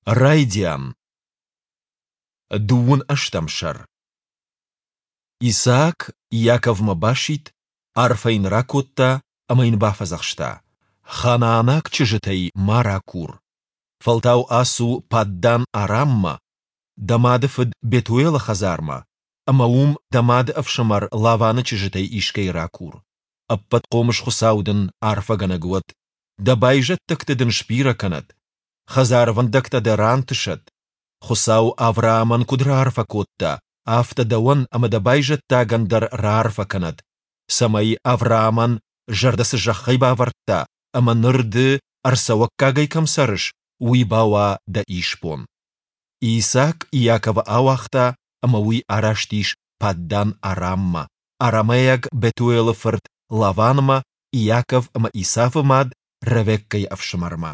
Райдиан. Дыууын ӕстӕм сӕр. Исаак Иаковмӕ басидт, арфӕ йын ракодта ӕмӕ йын бафӕдзӕхста: Ханаанаг чызджытӕй ма ракур. Фӕлтау ацу Паддан-Араммӕ, дӕ мады фыд Бетуелы хӕдзармӕ, ӕмӕ уым дӕ мады ӕфсымӕр Лаваны чызджытӕй искӕй ракур. Ӕппӕтхъомыс Хуыцау дын арфӕгӕнӕг уӕд, дӕ байзӕддӕгты дын сбирӕ кӕнӕд, хӕдзарвӕндӕгтӕ дӕ рантысӕд. Хуыцау Авраамӕн куыд раарфӕ кодта, афтӕ дӕуӕн ӕмӕ дӕ байзӕддагӕн дӕр раарфӕ кӕнӕд, цӕмӕй Авраамӕн зӕрдӕ цы зӕххӕй бавӕрдта ӕмӕ ныр ды ӕрцӕуӕггагӕй кӕм цӕрыс, уый бауа дӕ исбон. Исаак Иаковы ауагъта, ӕмӕ уый араст ис Паддан-Араммӕ, арамейаг Бетуелы фырт Лаванмӕ, Иаков ӕмӕ Исавы мад Ревеккӕйы ӕфсымӕрмӕ.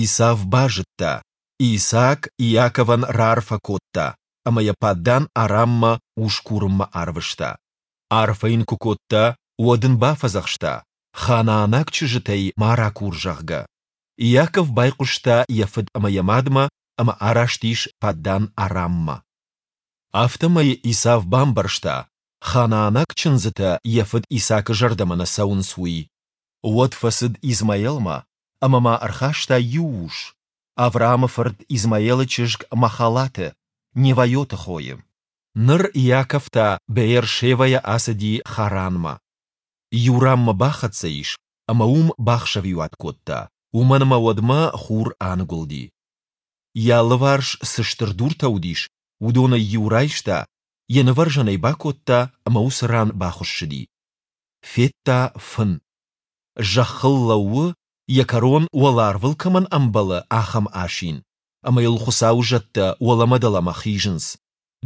Исав базыдта, Исаак Иаковӕн раарфӕ кодта ӕмӕ йӕ Паддан-Араммӕ ус курынмӕ арвыста. Арфӕ йын куы кодта, уӕд ын бафӕдзӕхста, ханаанаг чызджытӕй ма ракур, зӕгъгӕ. Иаков байхъуыста йӕ фыд ӕмӕ йӕ мадмӕ ӕмӕ араст ис Паддан-Араммӕ. Афтӕмӕй Исав бамбӕрста, ханаанаг чындзытӕ йӕ фыд Исаакы зӕрдӕмӕ нӕ цӕуынц, уый. Уӕд фӕцыд Измаилмӕ ӕмӕ ма ӕрхаста иу ус, Авраамы фырт Измаилы чызг Махалаты, Невайоты хойы. Ныр Иаков та Беер-Шевӕйӕ ацыди Харанмӕ. Иу ранмӕ бахӕццӕ ис ӕмӕ уым бахсӕвиуат кодта, уымӕн ӕмӕ уӕдмӕ хур аныгуылди. Йӕ алыварс цы стыр дуртӕ уыдис, уыдонӕй иу райста, йӕ нывӕрзӕн ӕй бакодта ӕмӕ уыцы ран бахуыссыди. Федта фын. Зӕххыл лӕууы, йӕ кӕрон уӕларвыл кӕмӕн ӕмбӕлы, ахӕм асин, ӕмӕ йыл Хуыцауы зӕдтӕ уӕлӕмӕ-дӕлӕмӕ хизынц.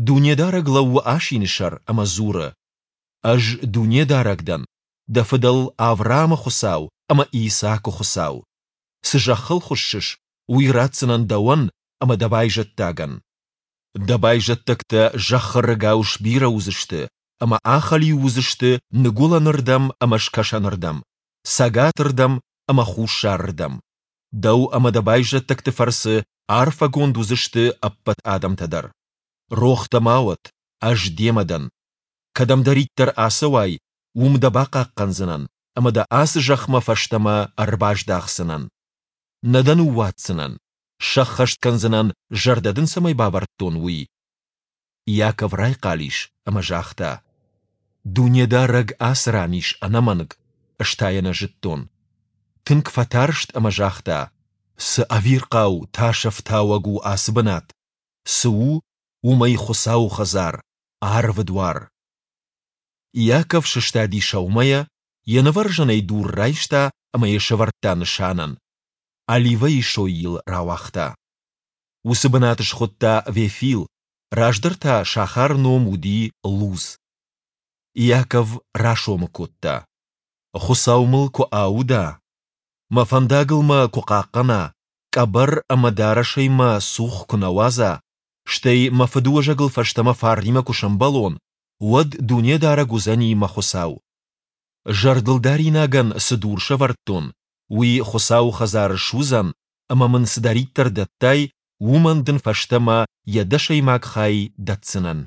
Дунедарӕг лӕууы асины сӕр ӕмӕ дзуры: Ӕз Дунедарӕг дӕн, дӕ фыдӕл Авраамы Хуыцау ӕмӕ Исаакы Хуыцау. Цы зӕххыл хуыссыс, уый ратдзынӕн дӕуӕн ӕмӕ дӕ байзӕддагӕн. Дӕ байзӕддӕгтӕ зӕххы рыгау сбирӕ уыдзысты ӕмӕ ахӕлиу уыдзысты ныгуылӕнырдӕм ӕмӕ скӕсӕнырдӕм, цӕгатырдӕм ӕмӕ хуссарырдӕм. Дӕу ӕмӕ дӕ байзӕддӕгты фӕрцы арфӕгонд уыдзысты ӕппӕт адӕмтӕ дӕр. Рох дӕ ма уӕд, ӕз демӕ дӕн. Кӕдӕмдӕриддӕр ацӕуай, уым дӕ бахъахъхъӕндзынӕн ӕмӕ дӕ ацы зӕхмӕ фӕстӕмӕ ӕрбаздахдзынӕн. Нӕ дӕ ныууадздзынӕн, сӕххӕст кӕндзынӕн, зӕрдӕ дын цӕмӕй бавӕрдтон, уый. Иаков райхъал ис ӕмӕ загъта: Дунедарӕг ацы ран ис ӕнӕмӕнг, ӕз та йӕ нӕ зыдтон. Тынг фӕтарст ӕмӕ загъта: Цы ӕвирхъау тасӕфтауӕг у ацы бынат! Цы у, уымӕй Хуыцауы хӕдзар, арвы дуар. Иаков сыстади сӕумӕйӕ, йӕ нывӕрзӕнӕй дур райста ӕмӕ йӕ сӕвӕрдта нысанӕн. Оливӕйы сой йыл рауагъта. Уыцы бынат схуыдта Вефил, раздӕр та сахары ном уыди Луз. Иаков расомы кодта: Хуыцау мыл куы ауда, мӕ фӕндагыл мӕ куы хъахъхъӕна, къӕбӕр ӕмӕ дарӕсӕй мӕ цух куы нӕ уадза, стӕй мӕ фыдыуӕзӕгыл фӕстӕмӕ фарнимӕ куы сӕмбӕлон, уӕд Дунедарӕг уыдзӕни мӕ Хуыцау. Зӕрдылдаринагӕн цы дур сӕвӕрдтон, уый Хуыцауы хӕдзар суыдзӕн ӕмӕ мын цыдӕриддӕр дӕттай, уымӕн дын фӕстӕмӕ йӕ дӕсӕймаг хай дӕтдзынӕн.